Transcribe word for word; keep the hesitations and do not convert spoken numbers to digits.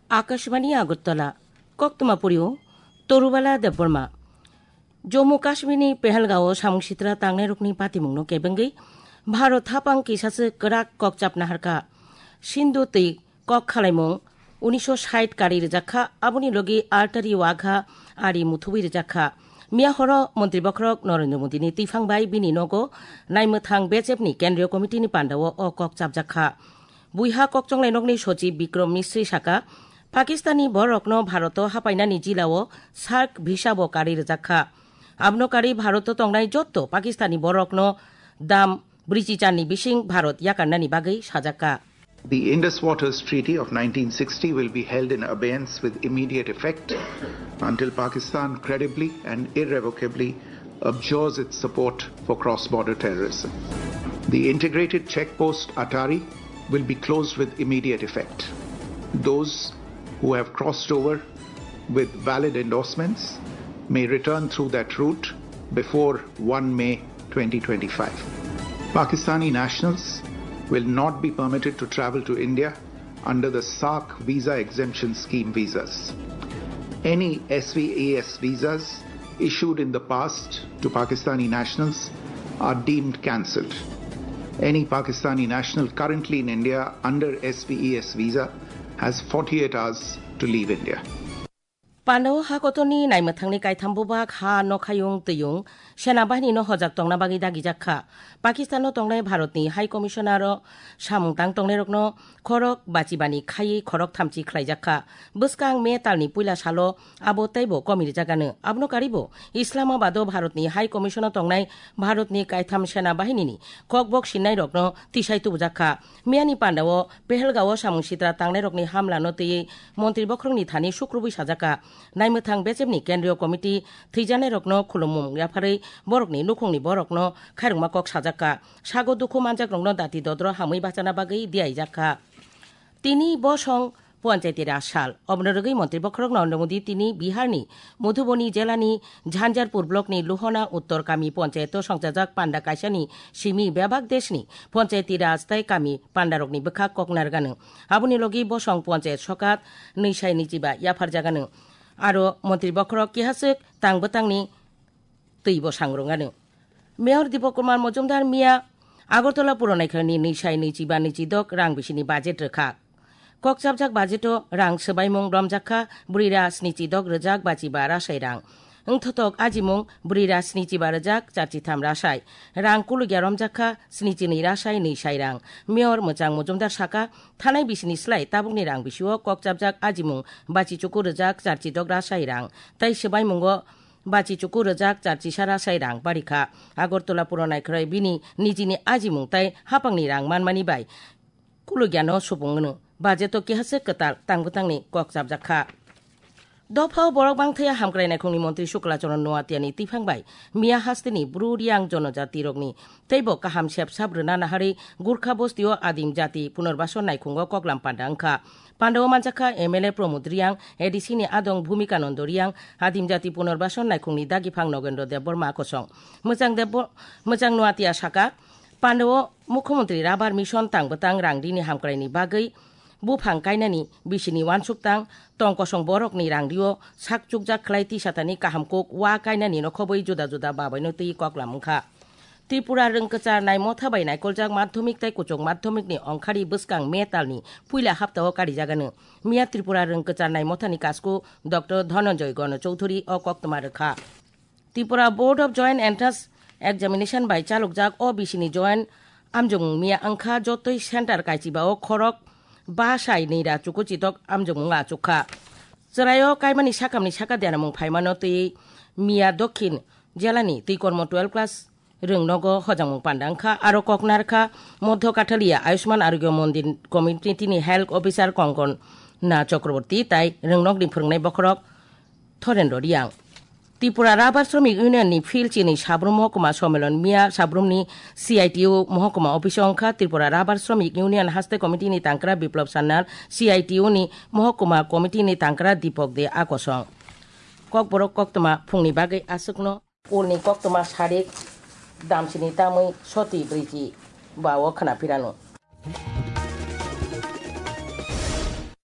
Akashvani Agartala, Koktwma Purio, Torubala Debbarma. Jammu Kashmirni Pahalgao samung sitra tangnairokni patimungno kebengwi Bharat hapang kisase kwrak kokchap naharkha. Sindhu twi kok khalaimung unisho sait kari rwjakha, aboni logi artari wagha ari muthubwi rwjakha. Miya horo Montri Bokhorok Narendra Modini twiphang bai bini nogo naimwthang B J P ni Kendriya Committee ni pandao o kok chapjakha. Buiha kokchonglai nokni sochib Bikram Misri saka, Pakistani borokno Bharoto hapainani jilao sark visa bo kari rwjakha. Abno kari Bharoto tongnai jotto Pakistani borokno dam brichi charni bising Bharot yakarnani bagwi sajakka. The Indus Waters Treaty of nineteen sixty will be held in abeyance with immediate effect until Pakistan credibly and irrevocably abjures its support for cross-border terrorism. The integrated checkpost Atari will be closed with immediate effect. Those who have crossed over with valid endorsements may return through that route before one May twenty twenty-five. Pakistani nationals will not be permitted to travel to India under the sark visa exemption scheme visas. Any S V A S visas issued in the past to Pakistani nationals are deemed cancelled. Any Pakistani national currently in India under S V A S visa has forty-eight hours to leave India. Pandao hakotorni naimwthangni kaitham bubak ha nokhayung twiyung sena bahinino hojak tongna bagwi dagijak kha. Pakistano tongnai Bharatni High Commissioner-o samung tang tongnairokno khorok bachibani khaiwi khorok thamchi khlaijak kha. Bwskang May talni puila salo abo teibo komirijak ano. Abono karibo Islamabado Bharatni High Commission-o tongnai Bharatni kaitham sena bahinini kokbok sinnairokno tisai tubujak kha. Miyani pandao Pehelgao samung sitra tangnairokni hamlano twiwi Montri Bokhorokni thani sukrubwi sajak kha. Naimwthang B J P ni Kendriya Committee thwijanairokno khulumung yapharwi borokni nukhungni borokno khairokma kok sajak kha. Sago dukhu manjakrokno dati dodro hamwi bachana bagwi diyaijak kha. Tini bosong Panchayati Raj sal. Oboni rwgwi Montri Bokhorok Narendra Modi tini Biharni Madhubani jelani Jhanjharpur blockni Luhona Uttor Kami Panchayato songchajak panda kaisani simi bebak deshni Panchayati Raj tei kami pandarokni bwkhak kok narwgano. Aboni logi bosong Panchayat sokat nwi sai nwichiba yapharjagano. Aro Montri Bokhorok kihaswk tang bwtangni twibo sangrwngano. Mayor Dipok Kumar Mojumdar miya Agartala Puro Naikharni nwi sai nwichiba nwichidok rang bisini budget rwkha. Kokchapjak budgeto rang swbaimung romjak kha brwi ra snichidok rwjak bachiba rasai rang. Wngthotok ajimung brwi ra snichiba rwjak charchitham rasai. Rang kulugya romjak kha snichinwi rasai nwi sai rang. Mayor Mwchang Mojumdar saka, thanai bisini slai tabukni rang bisio kokchapjak ajimung bachichuku rwjak charchidok rasai rang tei swbaimungo bachichuku rwjak charchisa rasai rang barikha. Agartala Puro Naikharoi bini nijini ajimung tei hapangni rang manmani bai kulugyano supung wngno. Budgeto kihaswk kwtal tang bwtangni kok chapjak kha. Dophao borok bangthaya hamkrai naikhungni montri Sukla Charan Noatiani twiphang bai miya hasteni Bru Riang jonojatirokni teibo kaham sep sap rwna naharwi Gurkha bostio adim jati punarbason naikhungo koklam panda wngkha. Pandao manjakha M L A Pramod Riang, A D C ni adong Bhumika Nando Riang, adim jati punarbason naikhungni dagiphang Nogendra Debbarma kosong. Mwchang Debbo-, Mwchang Noatia saka, pandao Mukhyamantri Rabar Mission tang bwtang rang rini hamkraini bagwi buphang kainani bisini uansuk tang tong kosong borokni rang rio sak chukjak khlai tisatani kaham kuk wa kainani nokhobwi juda juda babaino twi koklam wngkha. Tripura rwng kwcharnai motha bai naikoljak madhyamik tei kuchuk madhyamikni ongkhari bwskang May talni puila haptao karijagano. Miya Tripura rwng kwcharnai mothani kasku Doctor Dhananjoy Gano Chowdhury o koktwma rwkha. Tripura Board of Joint Entrance Examination bai chalokjak o bisini joint amjokmung miya wngkha jotoi center kaichibao khorok ba sai nwi ra chukuchitok amjokmung achukha. Chwraio kaimani sakamni saka deramung phaimano twi miya Dokhin jelani twi kormo twelve class rwng nogo hojangmung panda wngkha, aro koknar kha Modhyo Kathalia Ayushman Arogya Mondir Community ni Health Officer Kongkona Chakraborty tai rwngnokni phwrwngnai bokhorok Thorendra Riang. Tripura Rubber Shramik Union ni Phil Chini Sabrum Mohokuma Sommelon miya Sabrumni C I T U Mohokuma Office o wngkha. Tripura Rubber Shramik Union Haste Committee ni tangkra Biplab Sanyal, C I T U ni Mohokuma Committee ni tangkra Deepak De Akosong. Kokborok koktwma phungni bagwi aswkno. Ulni koktwma sarik Damsini tamwi soti brwichi ba o khna phirano.